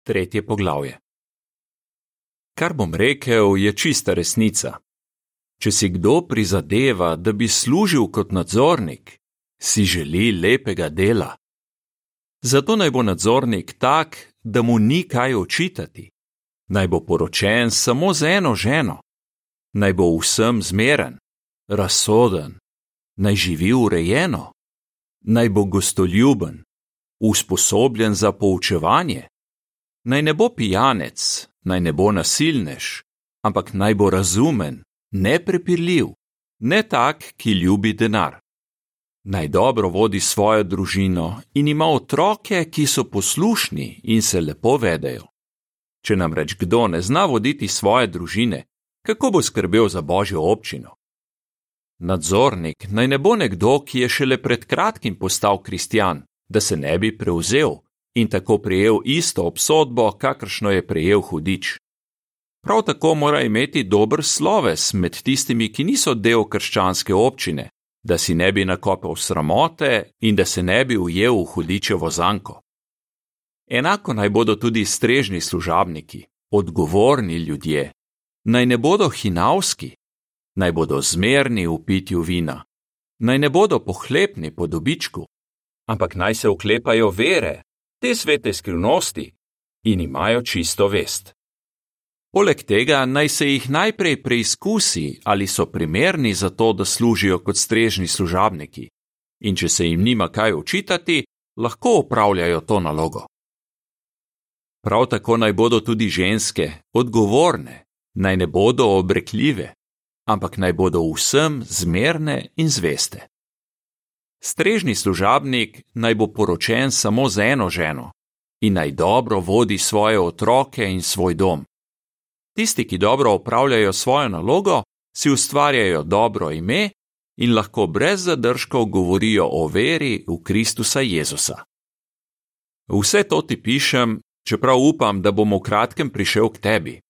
3. poglavje. Kar bom rekel, je čista resnica. Če si kdo prizadeva, da bi služil kot nadzornik, si želi lepega dela. Zato naj bo nadzornik tak, da mu ni kaj očitati. Naj bo poročen samo z eno ženo. Naj bo vsem zmeren, razsoden. Naj živi urejeno. Naj bo gostoljuben, usposobljen za poučevanje. Naj ne bo pijanec, naj ne bo nasilnež, ampak naj bo razumen, neprepirljiv, ne tak, ki ljubi denar. Naj dobro vodi svojo družino in ima otroke, ki so poslušni in se lepo vedejo. Če namreč kdo ne zna voditi svoje družine, kako bo skrbel za Božjo občino? Nadzornik naj ne bo nekdo, ki je šele pred kratkim postal kristjan, da se ne bi prevzel in tako prejel isto obsodbo, kakršno je prejel hudič. Prav tako mora imeti dober sloves med tistimi, ki niso del krščanske občine, da si ne bi nakopal sramote in da se ne bi ujel v hudičevo zanko. Enako naj bodo tudi strežni služabniki, odgovorni ljudje. Naj ne bodo hinavski, naj bodo zmerni v pitju vina, naj ne bodo pohlepni po dobičku, ampak naj se oklepajo vere, te svete skrivnosti in imajo čisto vest. Poleg tega naj se jih najprej preizkusi, ali so primerni za to, da služijo kot strežni služabniki, in če se jim nima kaj očitati, lahko opravljajo to nalogo. Prav tako naj bodo tudi ženske odgovorne, naj ne bodo obrekljive, ampak naj bodo vsem zmerne in zveste. Strežni služabnik naj bo poročen samo z eno ženo in naj dobro vodi svoje otroke in svoj dom. Tisti, ki dobro opravljajo svojo nalogo, si ustvarjajo dobro ime in lahko brez zadržkov govorijo o veri v Kristusa Jezusa. Vse to ti pišem, čeprav upam, da bom v kratkem prišel k tebi.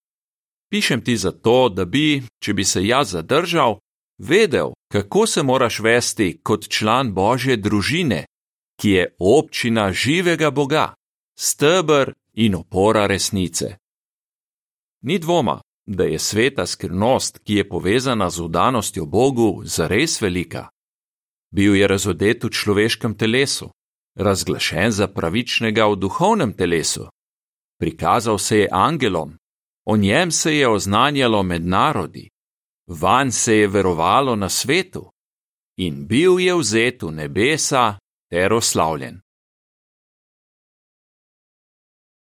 Pišem ti zato, da bi, če bi se jaz zadržal, vedel, kako se moraš vesti kot član Božje družine, ki je občina živega Boga, steber in opora resnice. Ni dvoma, da je sveta skrivnost, ki je povezana z vdanostjo Bogu, zares velika. Bil je razodet v človeškem telesu, razglašen za pravičnega v duhovnem telesu. Prikazal se je angelom, o njem se je oznanjalo med narodi, vanj se je verovalo na svetu in bil je vzet v nebesa ter oslavljen.